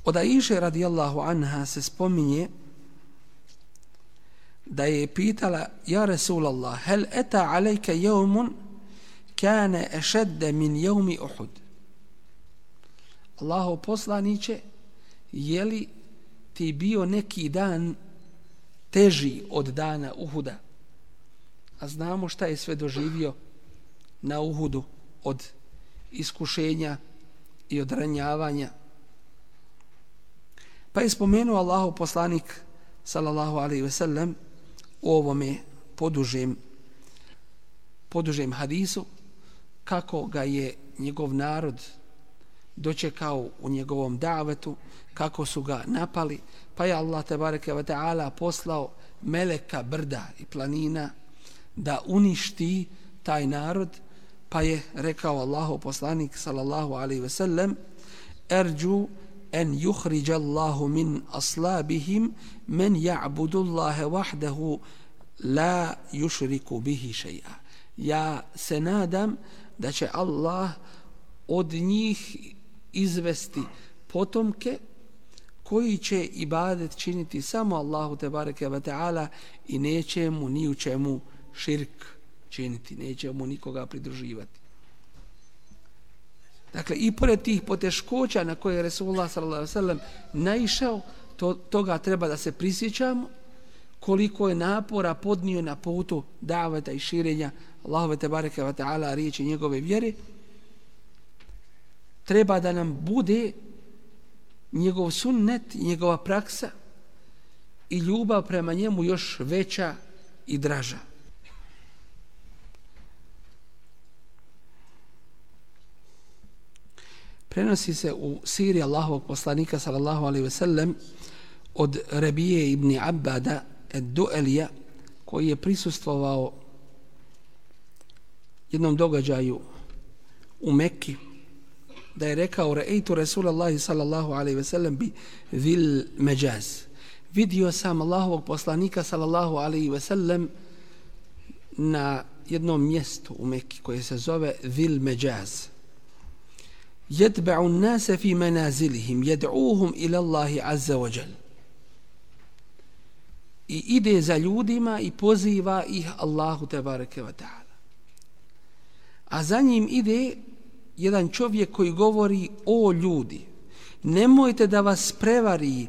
Od Aiše radijallahu anha se spominje da je pitala: ja Rasulallah, hel eta alejke jevmun kane ešedde min jevmi Uhud. Allahov poslaniće, je li ti bio neki dan teži od dana Uhuda? A znamo šta je sve doživio na Uhudu od iskušenja i od ranjavanja. Pa je spomenuo Allahov poslanik sallallahu alejhi ve sellem u ovome podužem hadisu kako ga je njegov narod dočekao u njegovom davetu, kako su ga napali, pa je Allah tebareke ve taala poslao meleka brda i planina da uništi taj narod, pa je rekao Allahov poslanik sallallahu alejhi ve sellem: erđu en yuhrija Allahu min aslabihim men ya'budu Allaha wahdahu la yushriku bihi shay'a. Ja se nadam da će Allah od njih izvesti potomke koji će ibadet činiti samo Allahu tebareke ve taala i neće mu ni u čemu širk činiti, neće mu nikoga pridruživati. Dakle, i pored tih poteškoća na koje je Resulullah sallallahu alejhi ve sellem naišao, toga treba da se prisjećamo, koliko je napora podnio na putu daveta i širenja Allahove tebareke ve taala riječi njegove vjere. Treba da nam bude njegov sunnet, njegova praksa i ljubav prema njemu još veća i draža. Prenosi se u siri Allahovog poslanika sallallahu alejhi ve sellem od Rabije ibn Abada ad-Du'alija, koji je prisustvovao jednom događaju u Mekki, da je rekao: ra'aytu Rasulallahi sallallahu alejhi ve sellem bi Zil Majaz. Vidio sam Allahovog poslanika sallallahu alejhi ve sellem na jednom mjestu u Mekki koje se zove Zil Majaz. يتبع الناس في منازلهم يدعوهم إلى الله عز وجل. I ide za ljudima i poziva ih Allahu tebareke ve taala. A za njim ide jedan čovjek koji govori: o ljudi, nemojte da vas prevari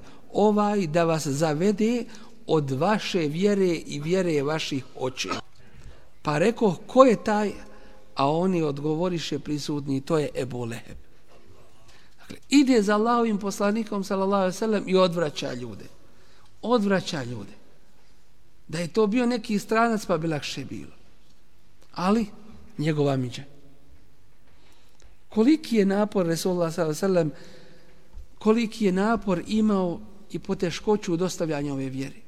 da vas zavede od vaše vjere i vjere vaših očeva. Pa rekao: ko je taj? A oni odgovoriše prisutni: to je Ebu Leheb. Dakle, ide za Allahovim poslanikom sallallahu alejhi ve sellem i odvraća ljude. Odvraća ljude. Da je to bio neki stranac, pa bi lakše bilo. Ali njegova miđa. Koliki je napor Resulullah sallallahu alejhi ve sellem, koliki je napor imao i poteškoću u dostavljanju ove vjere.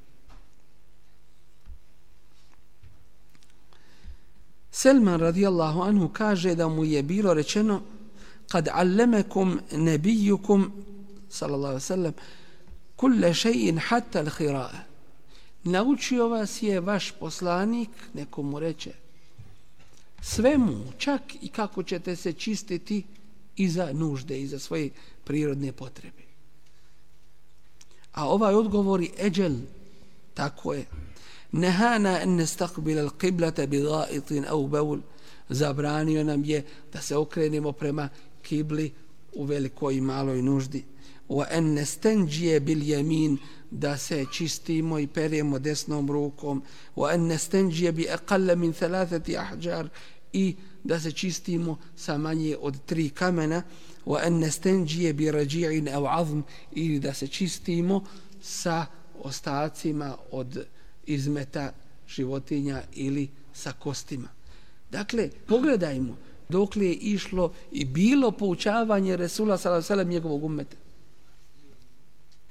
Selman radijallahu anhu kaže da mu je bilo rečeno: kad allamakum nabijukum sallallahu alejhi ve sellem kulle shay'in hatta al-khira'a. Naučio vas je vaš poslanik, neko mu reče, svemu, čak i kako ćete se čistiti i za nužde i za svoje prirodne potrebe. A ovaj odgovori: eđel, tako je. Nehana en nestaqbil al-qiblata bi ga'itin au baul. Zabranio nam je da se okrenemo prema kibli u velikoj i maloj nuždi. Wa en nestanđije bil jamin, da se čistimo i peremo desnom rukom. Wa en nestanđije bi aqalla min 3 ahjar, i da se čistimo sa manje od 3 kamena. Wa en nestanđije bi rađi'in au azm, ili da se čistimo sa ostacima od izmeta životinja ili sa kostima. Dakle, pogledajmo dokle je išlo i bilo poučavanje Resula sallallahu alejhi ve sellem njegovog ummeta.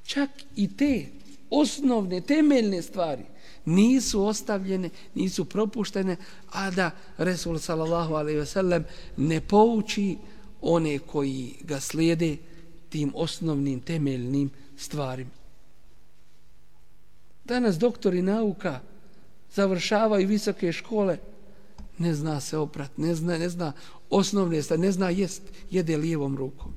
Čak i te osnovne, temeljne stvari nisu ostavljene, nisu propuštene, a da Resul sallallahu alejhi ve sellem ne pouči one koji ga slijede tim osnovnim, temeljnim stvarima. Danas doktori nauka završavaju visoke škole, ne zna se oprat, ne zna osnovne stvari, ne zna jede lijevom rukom.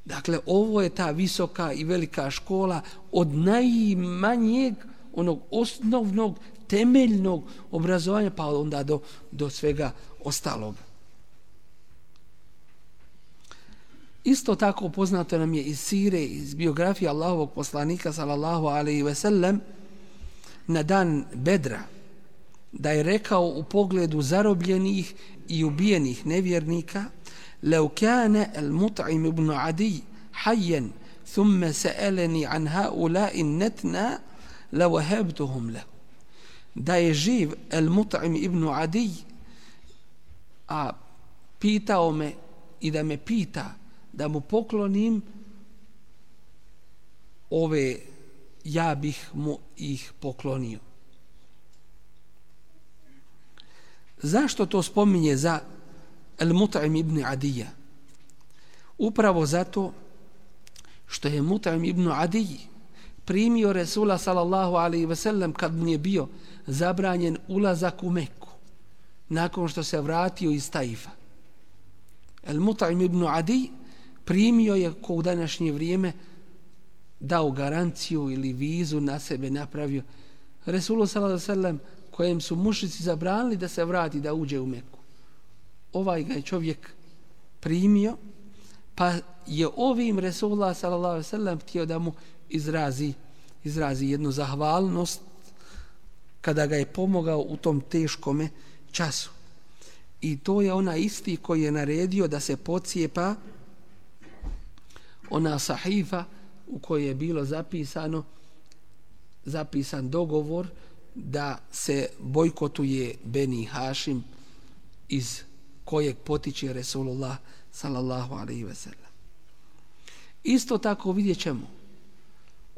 Dakle, ovo je ta visoka i velika škola od najmanjeg, onog osnovnog, temeljnog obrazovanja, pa onda do svega ostalog. Isto tako poznato nam je iz sire, iz biografije Allahovog poslanika sallallahu alejhi ve sellem na dan Bedra, da je rekao u pogledu zarobljenih i ubijenih nevjernika: لو كان المطعم بن عدي حيا ثم سألني عن هؤلاء النتنا لوهبتهم له. Da je živ al-Mut'im ibn Adi, a pitao me i da me pita da mu poklonim ove, ja bih mu ih poklonio. Zašto to spominje za al-Mut'im ibn Adija? Upravo zato što je Mut'im ibn Adij primio Resula sallallahu alaihi ve sellem kad mu je bio zabranjen ulazak u Meku nakon što se vratio iz Taifa. Al-Mut'im ibn Adij primio je, ko u današnje vrijeme, dao garanciju ili vizu na sebe napravio Resulu sallallahu alaihi ve sellem, kojem su mušrici zabranili da se vrati, da uđe u Meku. Ovaj ga je čovjek primio, pa je ovim Resulullah sallallahu alejhi ve sellem htio da mu izrazi jednu zahvalnost kada ga je pomogao u tom teškome času. I to je ona isti koji je naredio da se pocijepa ona sahifa u kojoj je bilo zapisan dogovor da se bojkotuje Beni Hašim, iz kojeg potiče Resulullah sallallahu alejhi ve sellem. Isto tako vidjet ćemo,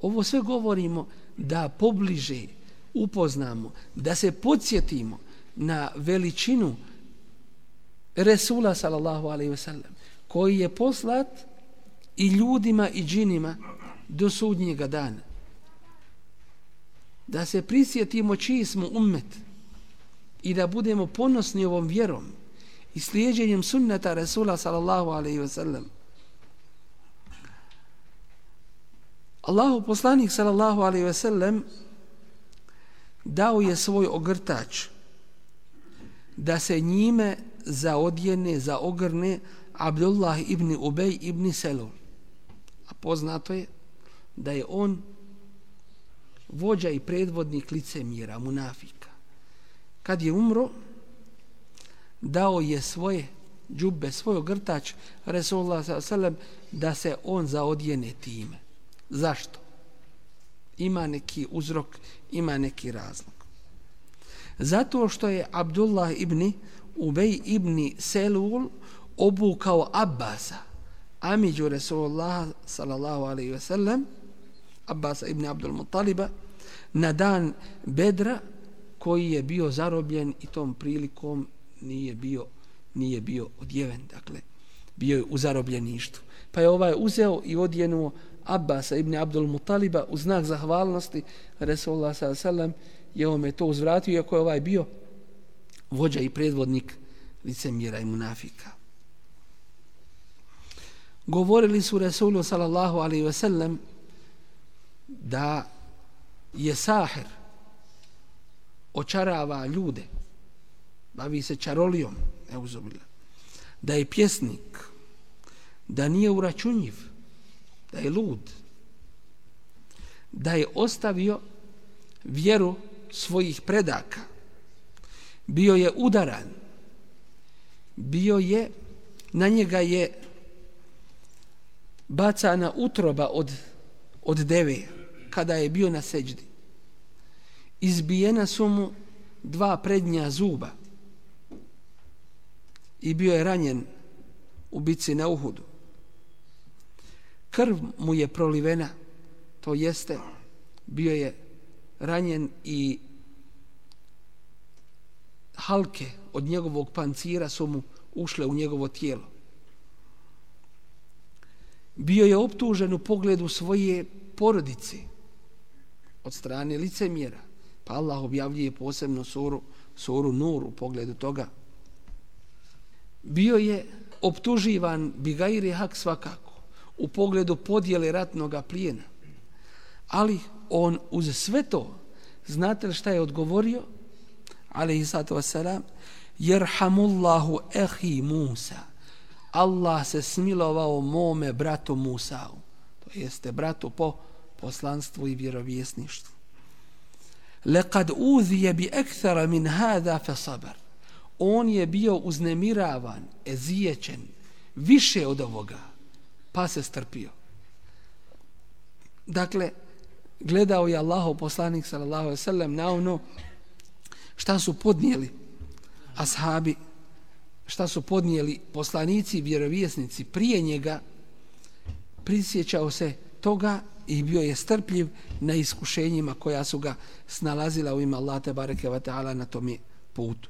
ovo sve govorimo da pobliže upoznamo, da se podsjetimo na veličinu Resula sallallahu alejhi ve sellem, koji je poslat i ljudima i džinima do sudnjega dana. Da se prisjetimo čiji smo ummet i da budemo ponosni ovom vjerom i slijeđenjem sunneta Resula sallallahu alejhi ve sellem. Allahu poslanik sallallahu alejhi ve sellem dao je svoj ogrtač da se njime zaogrne Abdullah ibn Ubej ibn Selul. A poznato je da je on vođa i predvodnik licemjera, munafika. Kad je umro, dao je svoje džubbe, svoj ogrtač Resulullah sallallahu alejhi ve sellem da se on zaodjene time. Zašto? Ima neki uzrok, ima neki razlog. Zato što je Abdullah ibn Ubej ibn Selul obukao Abbasa, amiđu Resulullah sallallahu alejhi ve sellem, Abbasa ibn Abdul Muttaliba, na dan Bedra, koji je bio zarobljen i tom prilikom nije bio odjeven, dakle bio je u zarobljeništvu. Pa je ovaj uzeo i odjenuo Abbasa ibn Abdul Muttaliba u znak zahvalnosti Resulullah sallallahu alejhi ve sellem, je on to uzvratio, iako je ovaj bio vođa i predvodnik licemjera i munafika. Govorili su Resulu sallallahu alejhi ve sellem da je sahir, očarava ljude, bavi se čarolijom, da je pjesnik, da nije uračunjiv, da je lud, da je ostavio vjeru svojih predaka, bio je udaran, na njega je bacana utroba od deve kada je bio na seđdi. Izbijena su mu 2 prednja zuba i bio je ranjen u bitci na Uhudu. Krv mu je prolivena, to jeste bio je ranjen i halke od njegovog pancira su mu ušle u njegovo tijelo. Bio je optužen u pogledu svoje porodice od strane licemjera, pa Allah objavljuje posebno suru Nur u pogledu toga. Bio je optuživan bigajri hak svakako, u pogledu podjele ratnog plijena. Ali on uz sve to, znate li šta je odgovorio? Alejhi salatu vesselam, jerhamullahu ehi Musa. Allah se smilovao mome bratu Musau. To jeste bratu po poslanstvu i vjerovjesništvu. Lekad uzije bi ekthara min hada fe sabar. On je bio uznemiravan, ezijećen, više od ovoga, pa se strpio. Dakle, gledao je Allahov poslanik sallallahu alejhi ve sellem na ono šta su podnijeli ashabi, šta su podnijeli poslanici i vjerovjesnici prije njega, prisjećao se toga i bio je strpljiv na iskušenjima koja su ga snalazila u ime Allaha tebareke ve taala na tom putu.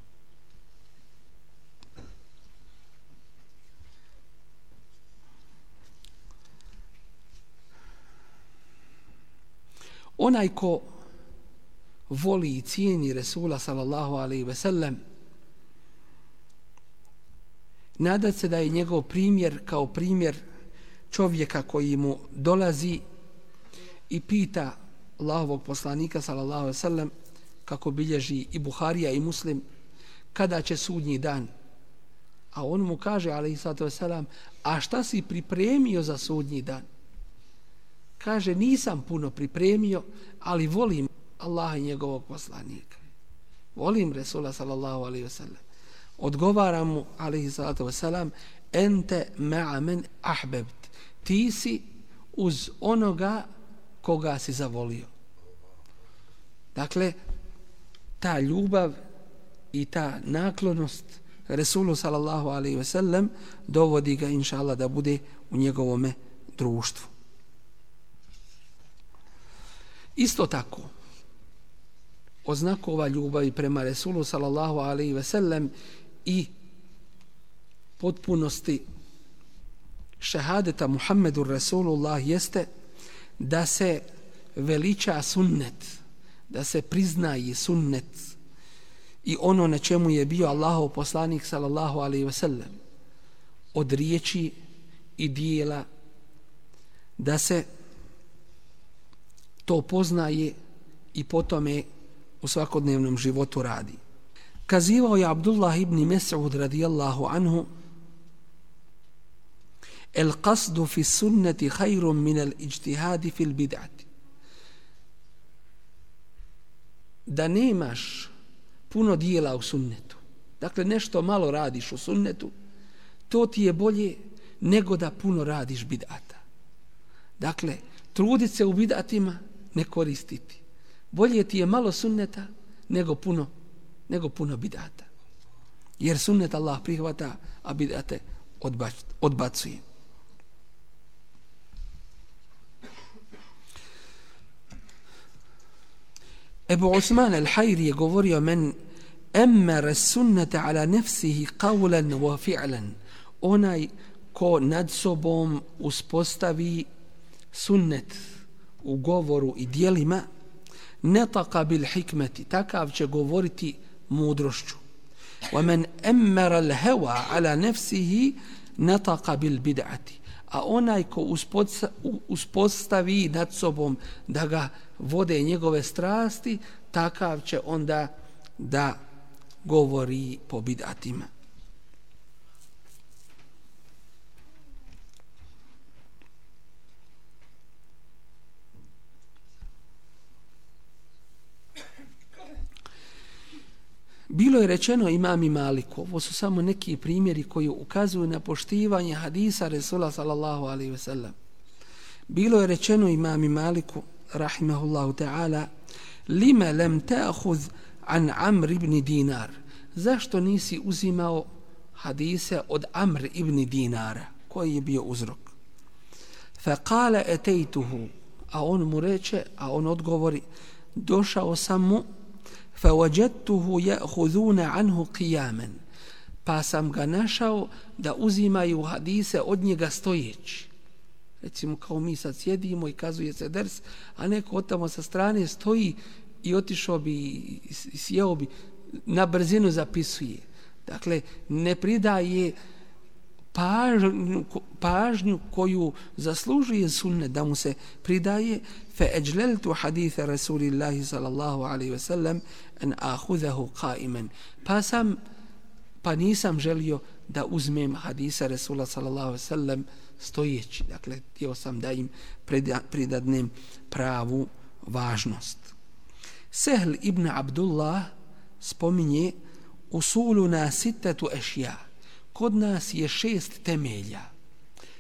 Onaj ko voli i cijeni Resula sallallahu alejhi ve sellem, nada se da je njegov primjer kao primjer čovjeka koji mu dolazi i pita Allahovog poslanika sallallahu alejhi ve sellem, kako bilježi i Buharija i Muslim, kada će sudnji dan. A on mu kaže alejhi salatu vesselam, a šta si pripremio za sudnji dan? Kaže, nisam puno pripremio, ali volim Allaha i njegovog poslanika. Volim Resula sallallahu alejhi ve sellem. Odgovara mu alejhi salatu vesselam, ente ma'a men ahbebt. Ti si uz onoga koga si zavolio. Dakle, ta ljubav i ta naklonost Resulu sallallahu alejhi ve sellem dovodi ga inšallah da bude u njegovome društvu. Isto tako, od znakova ljubavi prema Resulu sallallahu alejhi ve sellem i potpunosti šehadeta Muhammedur Rasulullah jeste da se veliča sunnet, da se priznaje sunnet i ono na čemu je bio Allahov poslanik sallallahu alejhi ve sellem od riječi i dijela, da se to poznaje i potome u svakodnevnom životu radi. Kazivao je Abdullah ibn Mes'ud radijallahu anhu, el qasdu fi sunnati khayrun min al ijtihadi fil bid'ati. Da nemaš puno dijela u sunnetu, dakle nešto malo radiš u sunnetu, to ti je bolje nego da puno radiš bid'ata. Dakle, trudit se u bid'atima ne koristiti. Bolje ti je malo sunneta nego puno bid'ata. Jer sunnet Allah prihvata, a bid'ate odbacuje. Ebu Osman al-Hajri je govorio, men emmere sunnete ala nefsihi qawlan wa fi'lan. Onaj ko nad sobom uspostavi sunnet u govoru i dijelima, netaka bil hikmeti, takav će govoriti mudrošću. Wa men emmera l-hewa ala nefsihi netaka bil bid'ati. A onaj ko uspostavi nad sobom da ga vode njegove strasti, takav će onda da govori po bid'atima. Bilo je rečeno imami Maliku, ovo su samo neki primjeri koji ukazuju na poštivanje hadisa Resula sallallahu alejhi ve sellem. Bilo je rečeno imami Maliku, rahimahullahu ta'ala, lima lam ta'khudh an Amr ibn Dinar. Zašto nisi uzimao hadise od Amr ibn Dinara? Koji je bio uzrok? Fa qala ataytuhu, a on mu reče, a on odgovori, došao sam mu, فَوَجَدْتُهُ يَأْخُذُونَ عَنْهُ قِيَامًا, pa sam ga našao da uzimaju hadise od njega stojeći. Recimo kao mi sad sjedimo i kazuje se ders, a neko od tamo sa strane stoji i otišao bi i sjeo bi, na brzinu zapisuje. Dakle, ne pridaje pažnju koju zaslužuje sunnet da mu se pridaje, فَأَجْلَلْتُ حَدِيثَ رَسُولِ اللَّهِ صَلَى اللَّهُ عَلَيْهِ وَسَلَّمْ أَنْ أَخُذَهُ قَائِمًا pa nisam želio da uzmem hadisa Rasula sallallahu alejhi ve sellem stojeći. Dakle, htio sam da im pridadnem pravu važnost. Sehl ibn Abdullah spominje usuluna sittatu ešja. Kod nas je 6 temelja,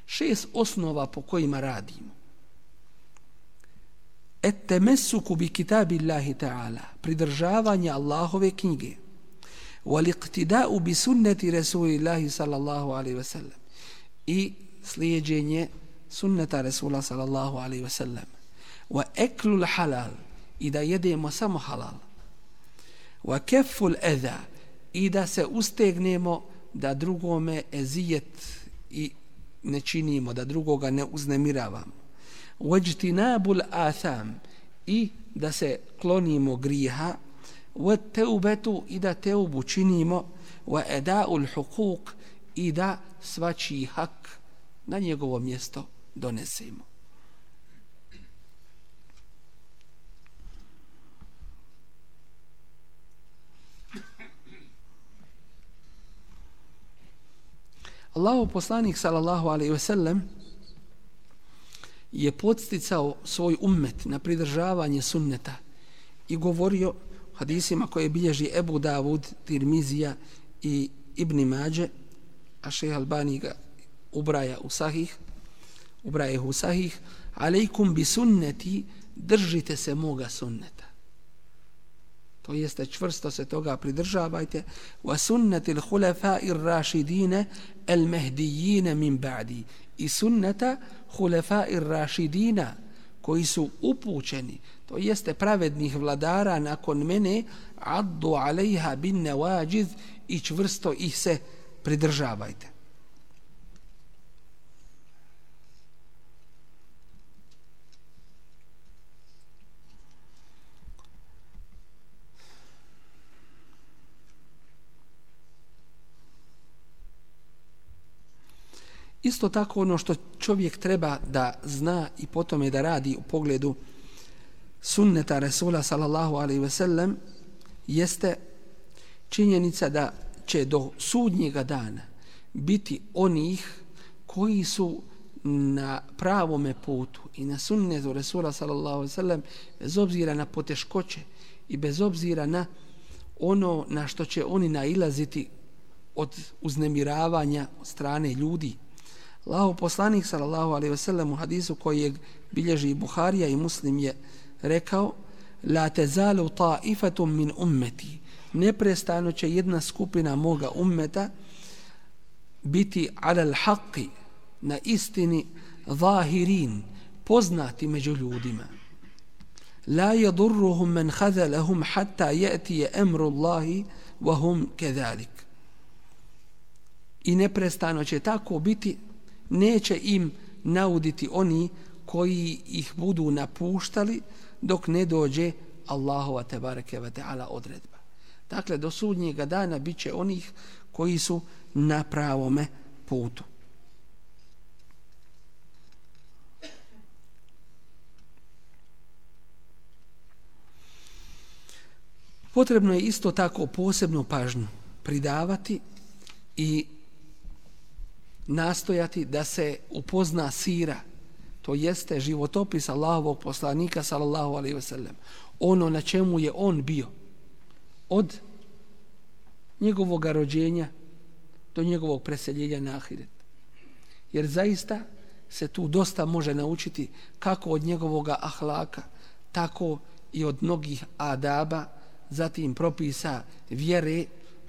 6 osnova po kojima radimo. Et-temessuku bi kitabillahi ta'ala, pridržavanje Allahove knjige. Wal-iqtida'u bi sunnati Rasulillahi sallallahu alaihi wa sallam, i slijedjenje sunneta Rasula sallallahu alaihi wa sallam. Wa eklul halal, i da jedemo samo halal. Wa kefful eza, i da se ustegnemo da drugome ezijet i ne činimo, da drugoga ne uznemiravamo. Wajtinabul atham, i da se klonimo grijeha. Wa teubetu, i da teubu činimo. Wa eda'ul hukuk, i da svačiji hak na njegovo mjesto donesemo. Allahov poslanik sallallahu alejhi ve sellem je podsticao svoj ummet na pridržavanje sunneta i govorio hadisima koje bilježi Ebu Davud, Tirmizija i Ibn Mađe, a šejh Albani ga ubraja u sahih, alejkum bi sunneti, držite se moga sunneta. To jeste, čvrsto se toga pridržavajte. Wa sunnetil hulefa'ir rašidine el mehdijine min ba'di, i sunneta hulefa'ir rašidina, koji su upućeni, to jeste pravednih vladara nakon mene, addu alejha bin nevađiz, i čvrsto ih se pridržavajte. Isto tako ono što čovjek treba da zna i potom da radi u pogledu sunneta Rasula sallallahu alejhi ve sellem jeste činjenica da će do sudnjega dana biti onih koji su na pravome putu i na sunnetu Rasula sallallahu alejhi ve sellem, bez obzira na poteškoće i bez obzira na ono na što će oni nailaziti od uznemiravanja od strane ljudi. Allahov poslanik sallallahu alejhi ve sellem u hadisu kojeg bilježi Buharija i Muslim je rekao: la tazalu ta'ifatun min ummeti, neprestano će jedna skupina moga ummeta biti alal haqqi, na istini, zahirin, poznati među ljudima. La yadurruhum man khazalahum hatta ya'ti amru Allahi wa hum kadhalik. I neprestano će tako biti, neće im nauditi oni koji ih budu napuštali dok ne dođe Allahova tebareke ve taala odredba. Dakle, do sudnjega dana bit će onih koji su na pravome putu. Potrebno je isto tako posebnu pažnju pridavati i nastojati da se upozna sira, to jeste životopis Allahovog poslanika sallallahu alejhi ve sellem, ono na čemu je on bio od njegovog rođenja do njegovog preseljenja na ahiret. Jer zaista se tu dosta može naučiti kako od njegovog ahlaka, tako i od mnogih adaba, zatim propisa vjere,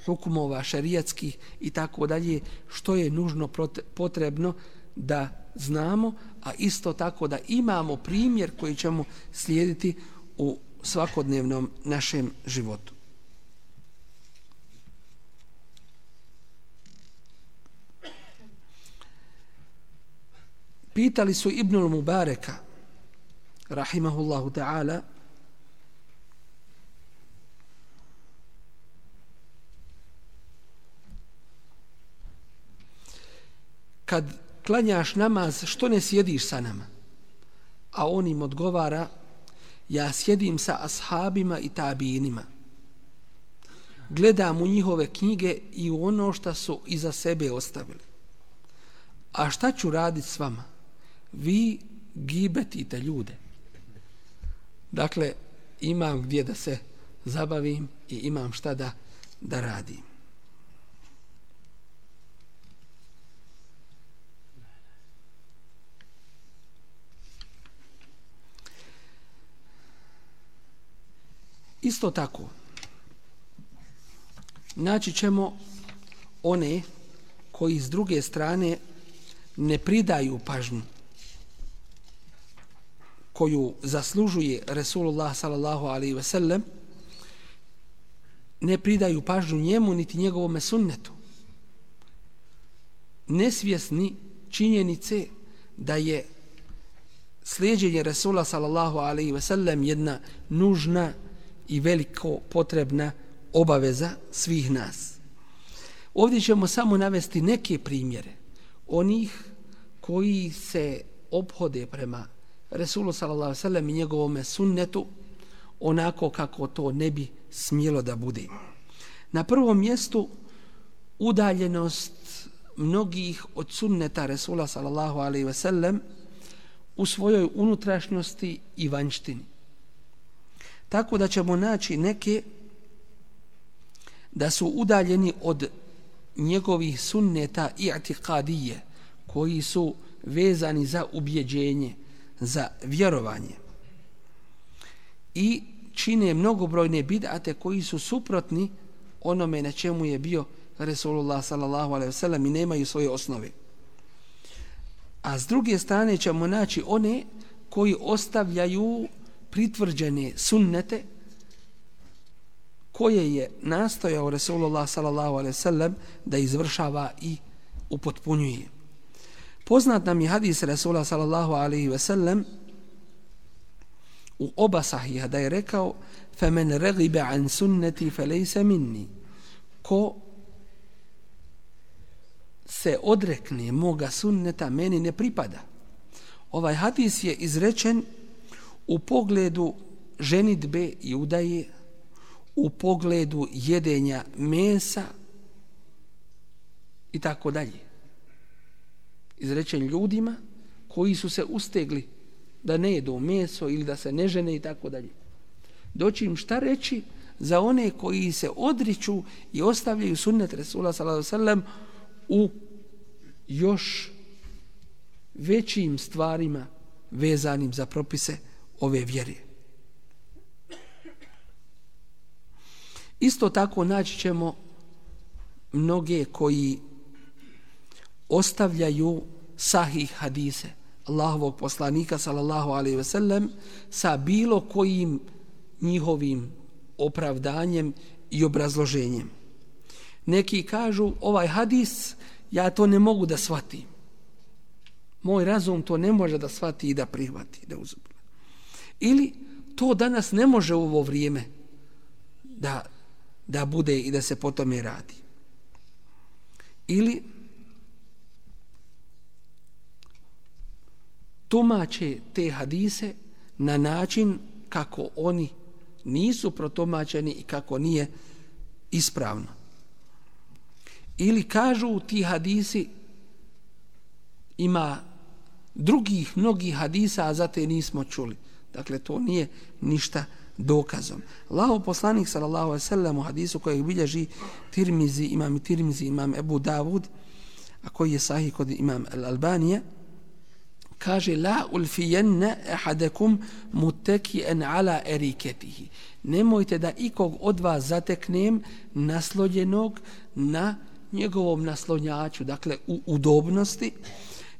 hukumova šerijatskih i tako dalje, što je nužno potrebno da znamo, a isto tako da imamo primjer koji ćemo slijediti u svakodnevnom našem životu. Pitali su Ibnul Mubareka, rahimahullahu ta'ala, kad klanjaš namaz, što ne sjediš sa nama? A on im odgovara, ja sjedim sa ashabima i tabinima. Gledam u njihove knjige i u ono što su iza sebe ostavili. A šta ću raditi s vama? Vi gibetite ljude. Dakle, imam gdje da se zabavim i imam šta da radim. Isto tako, naći ćemo one koji s druge strane ne pridaju pažnju koju zaslužuje Resulullah sallallahu alaihi ve sellem, ne pridaju pažnju njemu niti njegovome sunnetu. Nesvjesni činjenice da je slijeđenje Resula sallallahu alaihi ve sellem jedna nužna i veliko potrebna obaveza svih nas. Ovdje ćemo samo navesti neke primjere onih koji se ophode prema Resulu sallallahu alejhi ve sellem i njegovome sunnetu onako kako to ne bi smjelo da bude. Na prvom mjestu udaljenost mnogih od sunneta Resula sallallahu alejhi ve sellem u svojoj unutrašnjosti i vanjštini. Tako da ćemo naći neke da su udaljeni od njegovih sunneta i'tiqadije, koji su vezani za ubjeđenje, za vjerovanje. I čine mnogobrojne bid'ate koji su suprotni onome na čemu je bio Resulullah sallallahu alejhi ve sellem i nemaju svoje osnove. A s druge strane ćemo naći one koji ostavljaju pritvrđene sunnete koje je nastojao Resulullah sallallahu alejhi ve sellem da izvršava i upotpunjuje. Poznat nam je hadis Resula sallallahu alejhi ve sellem u oba sahiha da je rekao: "Faman raghiba an sunnati falaysa minni." Ko se odrekne moga sunneta, meni ne pripada. Ovaj hadis je izrečen u pogledu ženidbe i udaje, u pogledu jedenja mesa i tako dalje. Izrečen ljudima koji su se ustegli da ne jedu meso ili da se ne žene i tako dalje. Doći im šta reći za one koji se odriču i ostavljaju sunnet Resula sallallahu alejhi ve sellem u još većim stvarima vezanim za propise ove vjere. Isto tako naći ćemo mnoge koji ostavljaju sahih hadise Allahovog poslanika sallallahu alejhi ve sellem sa bilo kojim njihovim opravdanjem i obrazloženjem. Neki kažu ovaj hadis ja to ne mogu da shvatim. Moj razum to ne može da shvati i da prihvati, da uzme. Ili to danas ne može u ovo vrijeme da bude i da se po tome radi. Ili tumače te hadise na način kako oni nisu protumačeni i kako nije ispravno. Ili kažu ti hadisi ima drugih mnogih hadisa, a za te nismo čuli. Dakle, to nije ništa dokazom. Allahov poslanik sallallahu alejhi ve sellem u hadisu kojeg bilježi Tirmizi, imam Ebu Davud, a koji je sahih kod imam Al-Albanija, kaže: la ulfijenna ahadakum muttaki'an ala eriketihi. Nemojte da ikog od vas zateknem naslonjenog na njegovom naslonjaču, dakle u udobnosti,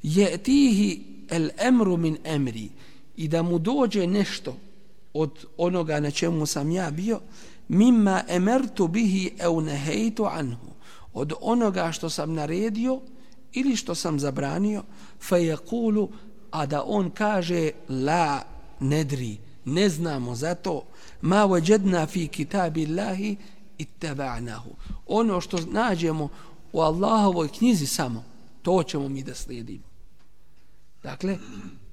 yatihi al-amru min amri, i da mu dođe nešto od onoga na čemu sam ja bio, mimma amartu bihi aw nahaytu anhu, od onoga što sam naredio ili što sam zabranio, fa yaqulu, a da on kaže: la nedri, ne znamo za to, ma wajadna fi kitabillahi ittaba'nahu, ono što nađemo u Allahovoj knjizi samo to ćemo mi da slijedimo. Dakle,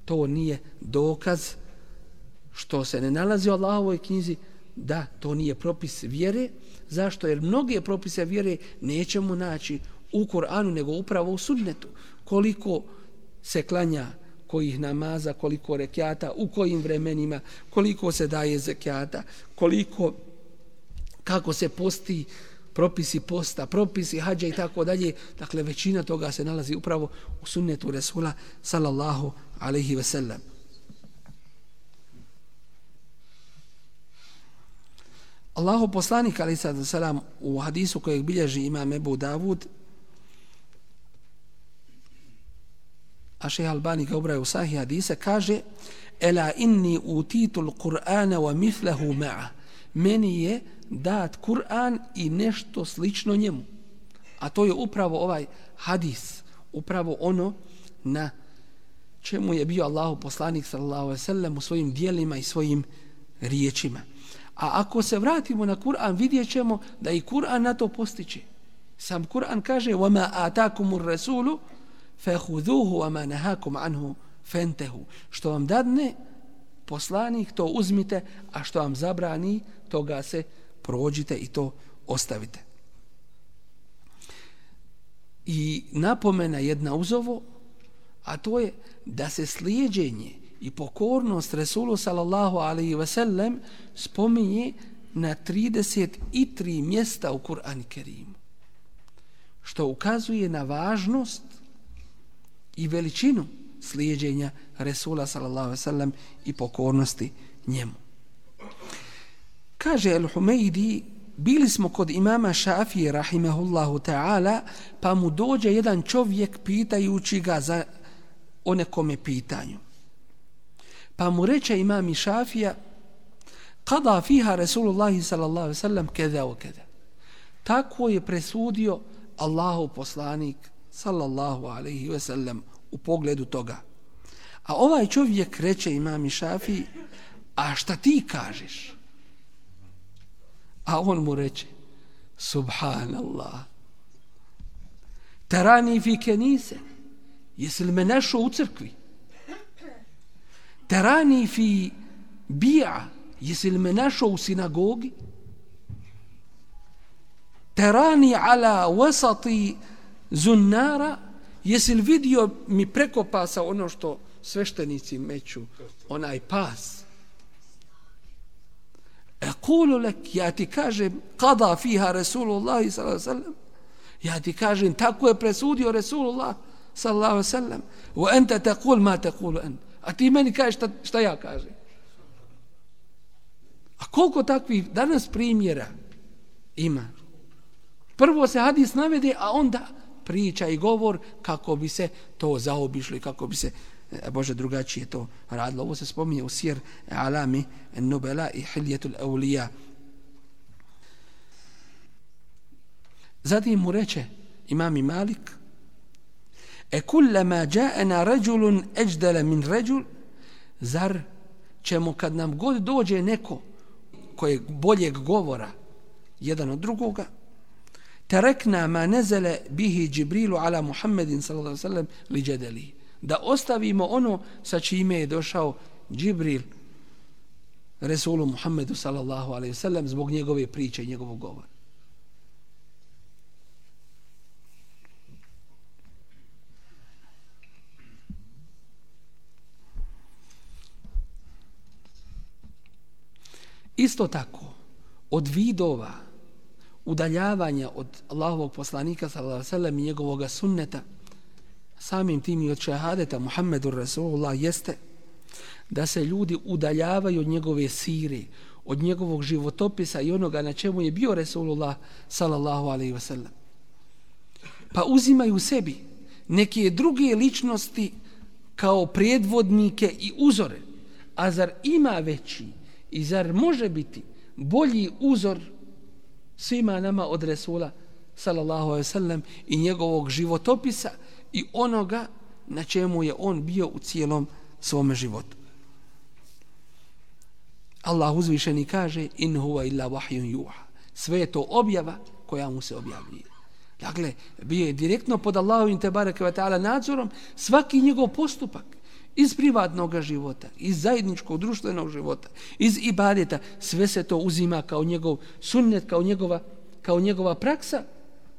to nije dokaz što se ne nalazi u Allahovoj knjizi, da to nije propis vjere. Zašto? Jer mnoge propise vjere nećemo naći u Kur'anu, nego upravo u sunnetu. Koliko se klanja, kojih namaza, koliko rekjata, u kojim vremenima, koliko se daje zekjata, kako se posti, propisi posta, propisi hađa i tako dalje. Dakle, većina toga se nalazi upravo u sunnetu Resula sallallahu alaihi ve sellem. Allahov poslanik alejhi selam u hadisu kojeg bilježi imam Ebu Davud, a Šejh Albani ga ubraja u Sahih hadise, kaže: "Ela inni utitul Qur'ana wa mithlahu ma'a." Meni je dat Kur'an i nešto slično njemu. A to je upravo ovaj hadis, upravo ono na čemu je bio Allahov poslanik sallallahu alejhi ve sellem u svojim djelima i svojim riječima. A ako se vratimo na Kur'an, vidjet ćemo da i Kur'an na to postiče. Sam Kur'an kaže: "Wama atakumur rasulu fakhudhuhu wama nahakum anhu fantahu." Što vam dadne poslanik, to uzmite, a što vam zabrani, toga se prođite i to ostavite. I napomena jedna uz ovo, a to je da se slijeđenje i pokornost Resulu sallallahu alaihi ve sellem spominje na 33 mjesta u Kur'anu Kerimu, što ukazuje na važnost i veličinu slijeđenja Resula sallallahu alaihi ve sellem i pokornosti njemu. Kaže Al-Humeidi: "Bili smo kod imama Šafije rahimehullahu ta'ala, pa mu dođe jedan čovjek pitajući ga o nekome pitanju. Pa mu reče imam Šafija: "Qada fiha Rasulullah sallallahu alejhi ve sellem keza wa keza." Tako je presudio Allahov poslanik sallallahu alejhi ve sellem u pogledu toga. A ovaj čovjek reče imam Šafiji: "A šta ti kažeš?" A on mu reče: "Subhanallah, tarani fi kenise." Jesi li me našao u crkvi? Tarani fi bi'a, jesi li me našao u sinagogi? Tarani ala wasati zunnara, jesi li vidio mi preko pasa ono što sveštenici meću, onaj pas? Ekulu lek, ja ti kažem, kada fiha Rasulullah sallallahu alejhi ve sellem, ja ti kažem, tako je presudio Rasulullah sallallahu alejhi ve sellem, wa anta taqul ma taqulu ant. A ti meni kažeš šta ja kažem. A koliko takvih danas primjera ima? Prvo se hadis navede, a onda priča i govor kako bi se to zaobišlo i kako bi se drugačije to radilo. Ovo se spominje u Sir Alami Nubela i Hiljetul Aulija. Zatim mu reče imam Malik: "Kullama ja'ana rajulun ajdala min rajul." Zar ćemo kad nam god dođe neko kojeg boljeg govora jedan od drugoga, tarakna ma nazala bihi Jibrilu ala Muhammedin sallallahu alejhi ve sellem li jadali, da ostavimo ono sa čime je došao Džibril Resulu Muhammedu sallallahu alejhi ve sellem zbog njegove priče i njegovog govora. Isto tako, od vidova udaljavanja od Allahovog poslanika sallallahu alejhi ve sellem i njegovog sunneta, samim tim i od šehadeta Muhammedur Rasulullah, jeste da se ljudi udaljavaju od njegove sire, od njegovog životopisa i onoga na čemu je bio Rasulullah sallallahu alejhi ve sellem. Pa uzimaju sebi neke druge ličnosti kao predvodnike i uzore. A zar ima veći i zar može biti bolji uzor svima nama od Resula sallallahu alejhi ve sellem i njegovog životopisa i onoga na čemu je on bio u cijelom svome životu? Allah uzvišeni kaže: "In huwa illa wahyun yuha." Sve je to objava koja mu se objavljuje. Dakle, bio je direktno pod Allahovim tebareke ve ta'ala nadzorom svaki njegov postupak iz privatnog života, iz zajedničkog društvenog života, iz ibadeta, sve se to uzima kao njegov sunnet, kao njegova praksa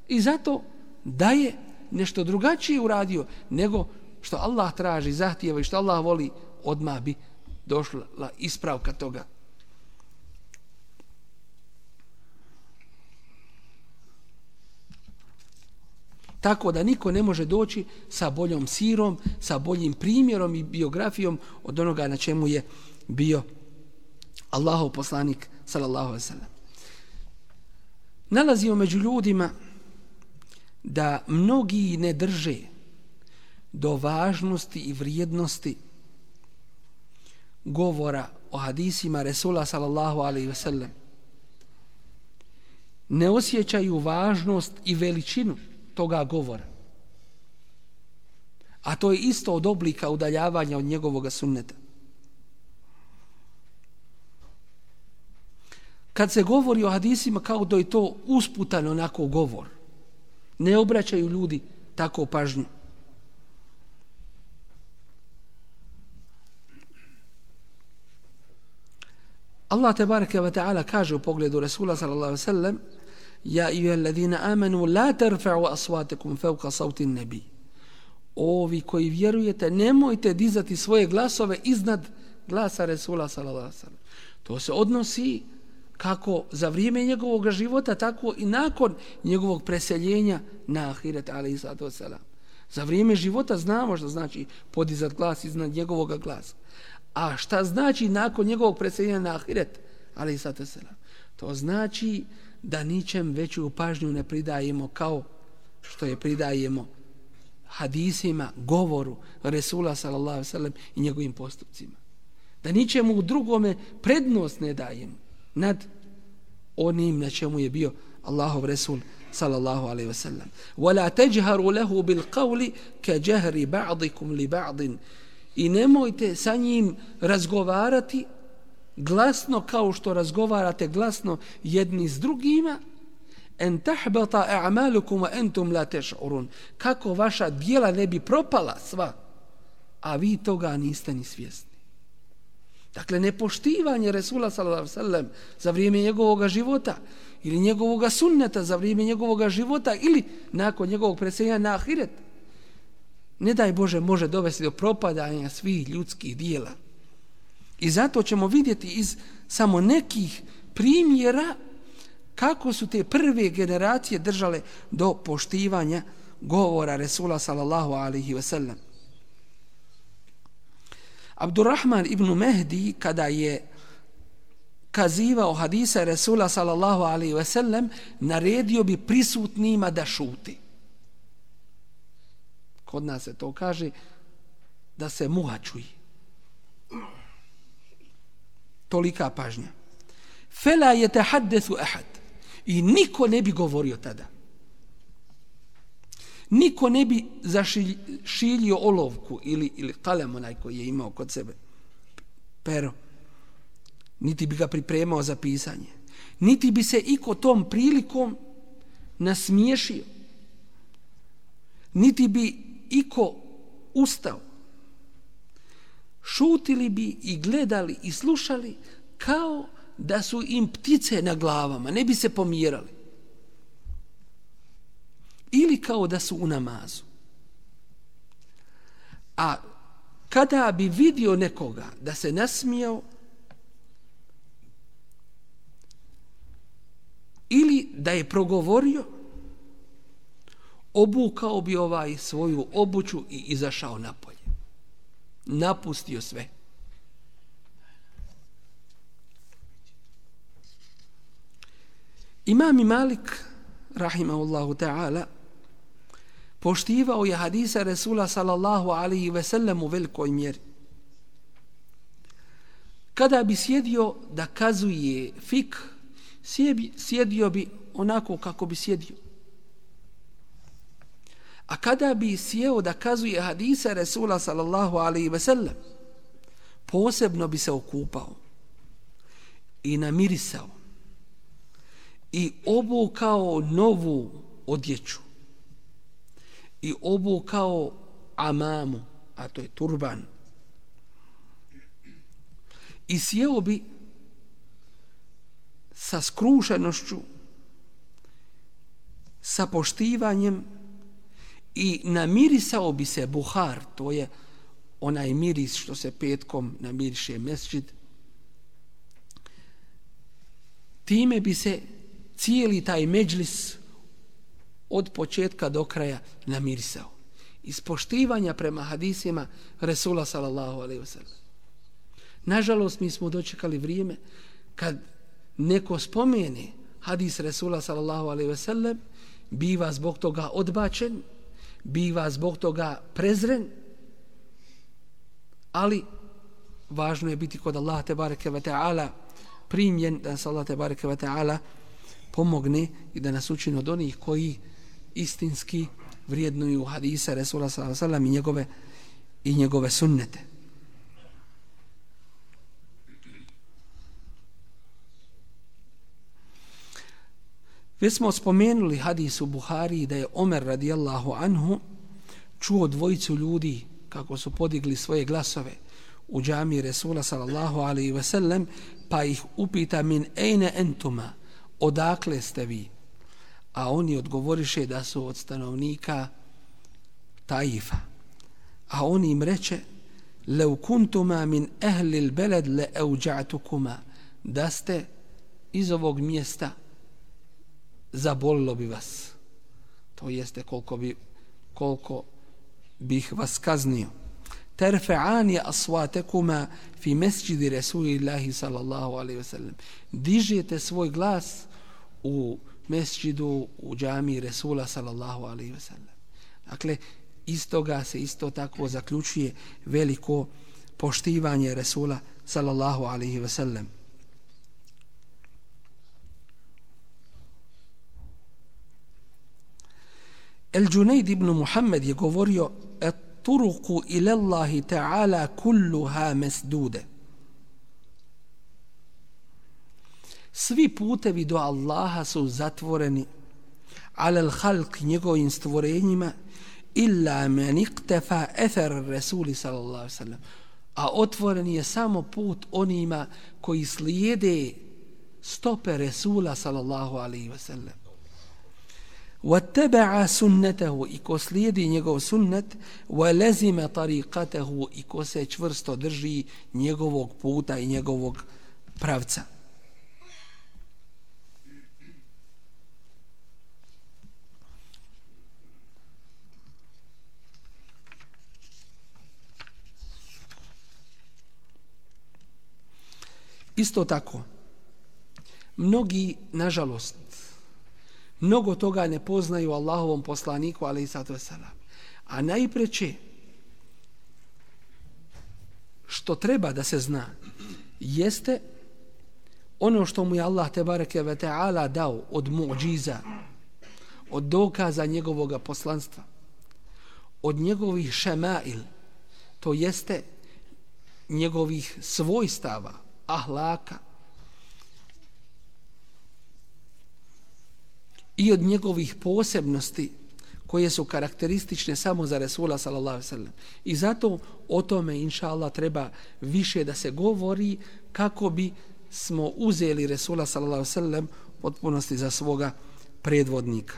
i zato da je nešto drugačije uradio nego što Allah traži, zahtijeva i što Allah voli, odmah bi došla ispravka toga. Tako da niko ne može doći sa boljom sirom, sa boljim primjerom i biografijom od onoga na čemu je bio Allahov poslanik sallallahu alejhi ve sellem. Nalazimo među ljudima da mnogi ne drže do važnosti i vrijednosti govora o hadisima Resula sallallahu alejhi ve sellem. Ne osjećaju važnost i veličinu toga govora. A to je isto od oblika udaljavanja od njegovog sunneta. Kad se govori o hadisima kao da je to usputan onako govor, ne obraćaju ljudi tako pažnju. Allah tebareke ve ta'ala kaže u pogledu Resula sallallahu alejhi ve sellem: Ja eyyuhalladhina amanu la tarfa'u aswatakum fawqa sawti an-nabi. Ovi koji vjerujete, nemojte dizati svoje glasove iznad glasa Resula sallallahu alejhi ve sellem. To se odnosi kako za vrijeme njegovog života, tako i nakon njegovog preseljenja na ahiret alejhi salatu vesselam. Za vrijeme života znamo što znači podizati glas iznad njegovog glasa. A šta znači nakon njegovog preseljenja na ahiret alejhi salatu vesselam? To znači da ničem veću pažnju ne pridajemo kao što je pridajemo hadisima, govoru Resula sallallahu alejhi ve sellem i njegovim postupcima. Da ničemu drugome prednost ne dajemo nad onim na čemu je bio Allahov Resul sallallahu alejhi ve sellem. Wala tajharu lahu bil qawli ka jahri ba'dikum li ba'din. I nemojte sa njim razgovarati glasno kao što razgovarate glasno jedni s drugima, en tahbata a'malukum wa antum la tash'urun. Kako vaša djela ne bi propala sva, a vi toga niste ni svjesni. Dakle, nepoštivanje Resula sallallahu alejhi ve sellem za vrijeme njegovog života ili njegovog sunneta za vrijeme njegovog života ili nakon njegovog preseljenja na ahiret, ne daj Bože, može dovesti do propadanja svih ljudskih djela. I zato ćemo vidjeti iz samo nekih primjera kako su te prve generacije držale do poštivanja govora Resula sallallahu alejhi ve sellem. Abdurrahman ibn Mehdi, kada je kazivao hadisa Resula sallallahu alejhi ve sellem, naredio bi prisutnima da šuti. Kod nas se to kaže da se muha čuje. Tolika pažnja. Fela yetahaddathu ahad. I niko ne bi govorio tada. Niko ne bi zašiljio olovku ili kalem onaj koji je imao kod sebe. Pero. Niti bi ga pripremao za pisanje. Niti bi se iko tom prilikom nasmiješio. Niti bi iko ustao. Šutili bi i gledali i slušali kao da su im ptice na glavama, ne bi se pomjerali. Ili kao da su u namazu. A kada bi vidio nekoga da se nasmijao ili da je progovorio, obukao bi svoju obuću i izašao napolje. Napustio sve. Imam Malik, rahimahullahu ta'ala, poštivao je hadisa Resula sallallahu alejhi ve sellem u velikoj mjeri. Kada bi sjedio da kazuje fik, sjedio bi onako kako bi sjedio. A kada bi sjeo da kazuje hadisa Resula sallallahu alejhi ve sellem, posebno bi se okupao i namirisao i obukao novu odjeću i obukao amamu, a to je turban, i sjeo bi sa skrušenošću, sa poštivanjem i namirisao bi se buhar, to je onaj miris što se petkom namiriše mesdžid. Time bi se cijeli taj međlis od početka do kraja namirisao. Iz poštivanja prema hadisima Resula sallallahu alejhi ve sellem. Nažalost, mi smo dočekali vrijeme kad neko spomene hadis Resula sallallahu alejhi ve sellem, biva zbog toga odbačen, biva zbog toga prezren, ali važno je biti kod Allaha tebareke ve ta'ala primljen, da nas Allah tebareke ve ta'ala pomogne i da nas učini od onih koji istinski vrijednuju hadise Resula sallallahu alejhi ve sellem i njegove sunnete. Već smo spomenuli hadis u Buhari da je Omer radijallahu anhu čuo dvojicu ljudi kako su podigli svoje glasove u džamiji Resula sallallahu alejhi ve sellem, pa ih upita min ejne entuma, odakle ste vi? A oni odgovoriše da su od stanovnika Taifa. A on im reče, lev kuntuma min ehlil beled le euđa'tukuma, da ste iz ovog mjesta zabolilo bi vas. To jeste koliko bih vas kaznio. Terfe'ani aswatekuma fi mesjidi Rasulillahi sallallahu alejhi ve sellem. Dižete svoj glas u mesjidu, u džamiji Resula sallallahu alejhi ve sellem. Dakle, iz toga se isto tako zaključuje veliko poštivanje Resula sallallahu alejhi ve sellem. El-Džunajd ibn Muhammed je govorio turuku ila Allahi ta'ala kulluha mesdude. Svi putevi do Allaha su zatvoreni ala al-halq, njegovim stvorenjima, illa man iqtafa athar Rasuli sallallahu alejhi ve sellem. A otvoren je samo put onima koji slijede stope Resula sallallahu alejhi ve sellem. وَاتَّبَعَ سُنَّتَهُ, i ko slijedi njegov sunnet, وَلَزِمَ طَرِيقَتَهُ, i ko se čvrsto drži njegovog puta i njegovog pravca. Isto tako, mnogi, nažalost, mnogo toga ne poznaju Allahovom poslaniku, alejhisalatu vesselam. A najpreče što treba da se zna jeste ono što mu je Allah tebareke ve ta'ala dao od mu'džiza, od dokaza njegovog poslanstva, od njegovih šemail, to jeste njegovih svojstava, ahlaka, i od njegovih posebnosti koje su karakteristične samo za Resula sallallahu alejhi ve sellem. I zato o tome inša Allah treba više da se govori kako bi smo uzeli Resula sallallahu alejhi ve sellem potpunosti za svoga predvodnika.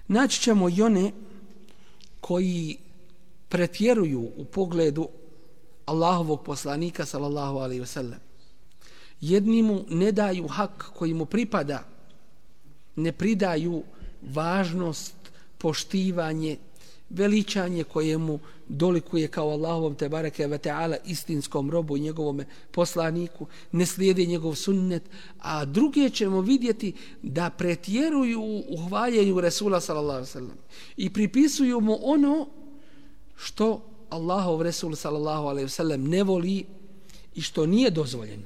Naći ćemo i one koji pretjeruju u pogledu Allahovog poslanika sallallahu alejhi ve sellem. Jedni mu ne daju hak koji mu pripada, ne pridaju važnost, poštivanje, veličanje kojemu dolikuje kao Allahovom tebareke ve ta'ala istinskom robu i njegovom poslaniku, ne slijede njegov sunnet, a druge ćemo vidjeti da pretjeruju u hvaljenju Resula sallallahu alejhi ve sellem i pripisuju mu ono što Allahov Resul sallallahu alejhi ve sellem ne voli i što nije dozvoljeno.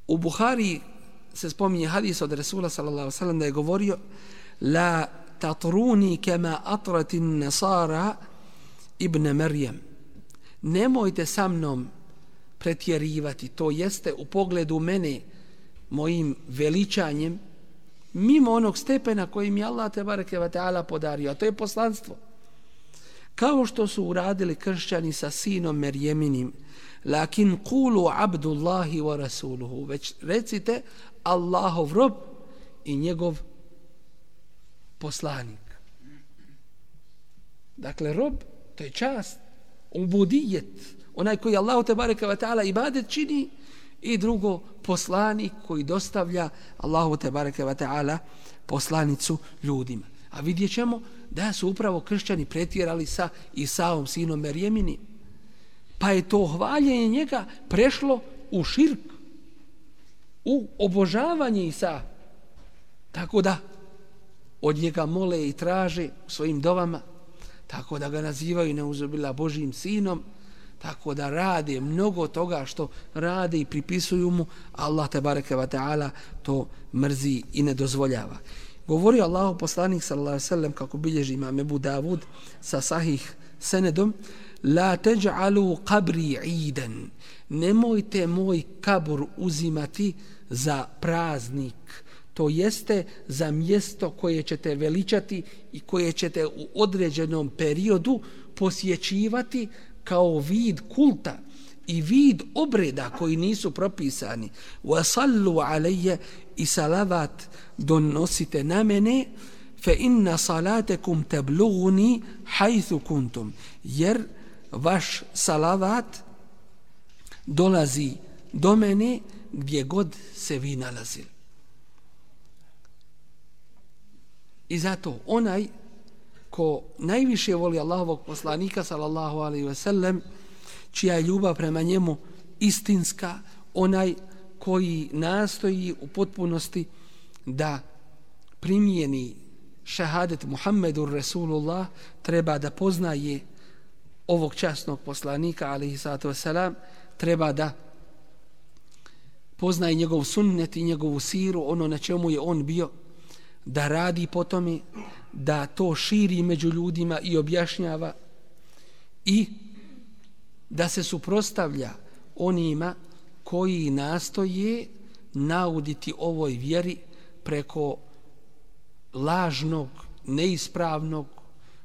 U Buhari se spominje hadis od Resula sallallahu alejhi ve sellem da je govorio: la tatruni kama atratin nasara ibn Maryam. Nemojte sa mnom pretjerivati, to jeste u pogledu mene, mojim veličanjem, mimo onog stepena koji mi Allah tebareke ve taala podario, a to je poslanstvo. Kao što su uradili kršćani sa sinom Merjeminim, lakin kulu abdullahi wa rasuluhu, već recite Allahov rob i njegov poslanik. Dakle, rob, to je čast, ubudijet, onaj koji Allahu tebareke ve taala ibadet čini, i drugo, poslanik koji dostavlja Allahu tebareke ve taala poslanicu ljudima. A vidjet ćemo da su upravo kršćani pretjerali sa Isaom, sinom Merjeminim. Pa je to hvaljenje njega prešlo u širk, u obožavanje Isa. Tako da od njega mole i traže u svojim dovama, tako da ga nazivaju neuzubila Božijim sinom, tako da rade mnogo toga što rade i pripisuju mu, Allah tebareke ve taala to mrzi i ne dozvoljava. Govorio Allahu poslanik sallallahu alejhi ve sellem, kako bilježi imam Ebu Davud sa sahih senedom, la taj'alu qabri idan, nemojte moj kabur uzimati za praznik, to jeste za mjesto koje ćete veličati i koje ćete u određenom periodu posjećivati kao vid kulta i vid obreda koji nisu propisani. Wa sallu alayya, i salavat donosite na mene, fa inna salatakum tablughuni haythu kuntum, jer vaš salavat dolazi do mene gdje god se vi nalazili. I zato onaj ko najviše voli Allahovog poslanika sallallahu alejhi ve sellem, čija je ljubav prema njemu istinska, onaj koji nastoji u potpunosti da primijeni šahadet Muhammedur Rasulullah, treba da poznaje ovog časnog poslanika alejhi salatu vesselam, treba da poznaje njegov sunnet i njegovu siru, ono na čemu je on bio, da radi po tome, da to širi među ljudima i objašnjava, i da se suprotstavlja onima koji nastoje nauditi ovoj vjeri preko lažnog, neispravnog,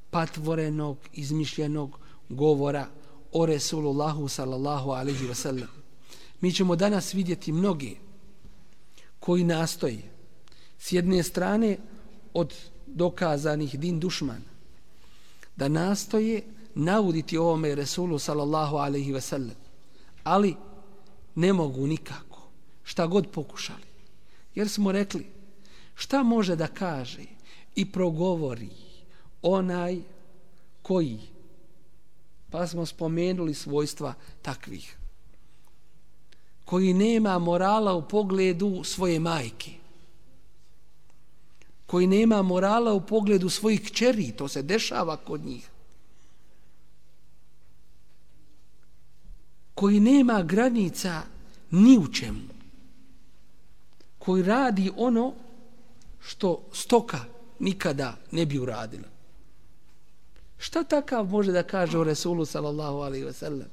patvorenog, izmišljenog govora o Resulullahu sallallahu alejhi ve sellem. Mi ćemo danas vidjeti mnoge koji nastoje s jedne strane od dokazanih din dušmana da nastoje nauditi ovome Resulu sallallahu alejhi ve sellem, ali ne mogu nikako, šta god pokušali. Jer smo rekli, šta može da kaže i progovori onaj koji, pa smo spomenuli svojstva takvih, koji nema morala u pogledu svoje majke, koji nema morala u pogledu svojih kćeri, to se dešava kod njih, koji nema granica ni u čemu, koji radi ono što stoka nikada ne bi uradila. Šta takav može da kaže o Resulu sallallahu alejhi ve sellem?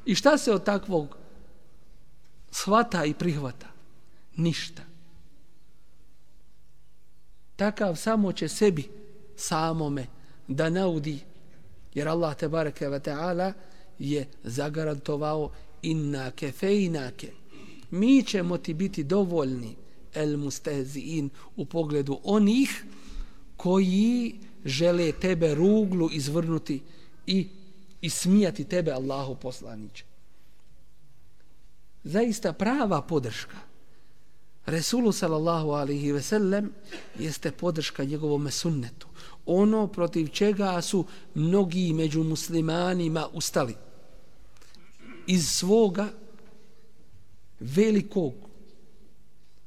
I šta se od takvog shvata i prihvata? Ništa. Takav samo će sebi samome da naudi, jer Allah tebareke ve taala je zagarantovao inna kefejnake, mi ćemo ti biti dovoljni, el mustehziin, u pogledu onih koji žele tebe ruglu izvrnuti i ismijati tebe, Allahu poslaniče. Zaista prava podrška Resulu sallallahu alejhi ve sellem jeste podrška njegovom sunnetu, ono protiv čega su mnogi među muslimanima ustali iz svoga velikog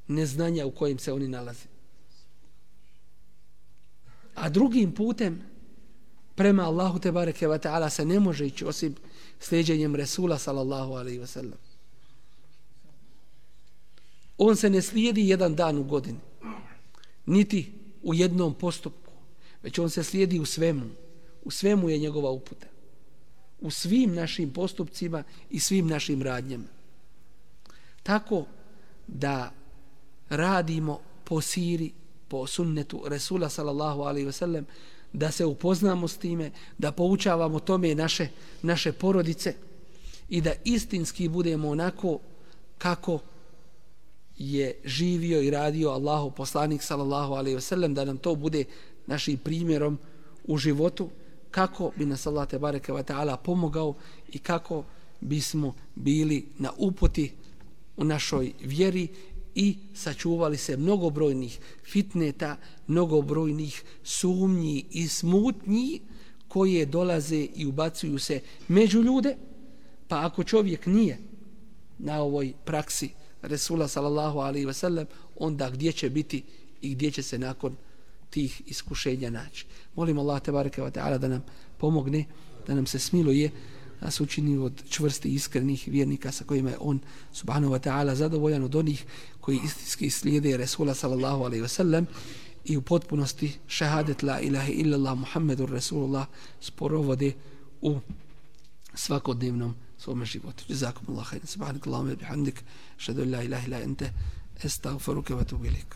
neznanja u kojem se oni nalaze. A drugim putem prema Allahu tebareke ve taala se ne može ići osim sljeđenjem Resula sallallahu alejhi ve sellem. On se ne slijedi jedan dan u godini, niti u jednom postupku, već on se slijedi u svemu. U svemu je njegova uputa. u svim našim postupcima i svim našim radnjama. Tako da radimo po siri, po sunnetu Resula sallallahu alaihi ve sellem, da se upoznamo s time, da poučavamo tome naše porodice i da istinski budemo onako kako je živio i radio Allahov poslanik sallallahu alejhi ve sellem, da nam to bude našim primjerom u životu, kako bi nas Allah te bareke ve taala pomogao i kako bismo bili na uputi u našoj vjeri i sačuvali se mnogobrojnih fitneta, mnogobrojnih sumnji i smutnji koje dolaze i ubacuju se među ljude. Pa ako čovjek nije na ovoj praksi Resula sallallahu alaihi ve sellem, onda gdje će biti i gdje će se nakon tih iskušenja naći. Molim Allah tebareke ve taala da nam pomogne, da nam se smiluje, da se učini od čvrstih iskrenih vjernika sa kojima je on subhanahu wa ta'ala zadovoljan, od onih koji istinski slijede Resula sallallahu alaihi ve sellem i u potpunosti šehadet la ilaha illallah Muhammedur Rasulullah sporovode u svakodnevnom svome životu. Jazakumullahu khairan. Subhanakallahumma wa bihamdik, ashhadu an la ilaha illa anta, astaghfiruka wa atubu ilaik.